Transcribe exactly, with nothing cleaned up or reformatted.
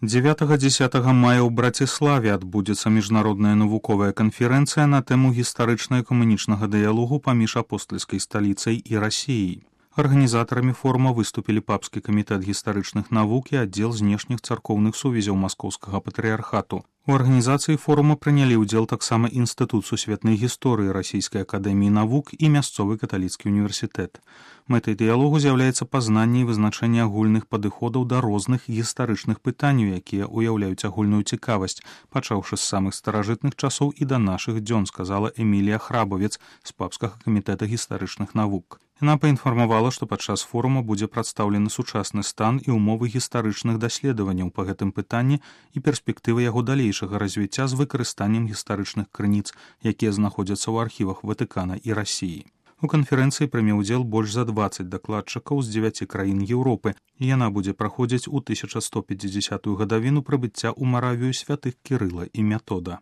дзевятага-дзесятага мая ў Браціславе адбудзецца міжнародная навуковая канферэнцыя на тэму гістарычна-экумэнічнага дыялогу паміж апостальскай сталіцай і Расіяй. Арганізатарамі форума выступілі папскі камітэт гістарычных навук і аддзел знешніх царкоўных сувязяў маскоўскага патрыярхату. У арганізацыі форума прынялі ўдзел таксама Інстытут сусветнай гісторыі Расійскай акадэміі навук і мясцовы каталіцкі універсітэт. Мэтай дыялогу з'яўляецца пазнанне і вызначэнне агульных падыходаў да розных гістарычных пытанняў, якія ўяўляюць агульную цікавасць, пачаўшы з самых старажытных часоў і да нашых дзён, сказала Эмілія Храбавец з папскага камітэта гістарычных навук. Яна паінфармавала, што падчас форума будзе прадстаўлены сучасны стан і ўмовы гістарычных даследаванняў па гэтым пытанні і перспектывы яго далейшага развіцця з выкарыстаннем гістарычных крыніц, якія знаходзяцца ў архівах Ватыкана і Расіі. У канферэнцыі прыме ўдзел больш за дваццаць дакладчыкаў з дзевяці краін Еўропы, і яна будзе праходзіць у тысяча сто пяцідзясятую гадавіну прыбыцця ў Маравію святых Кірыла і Метода.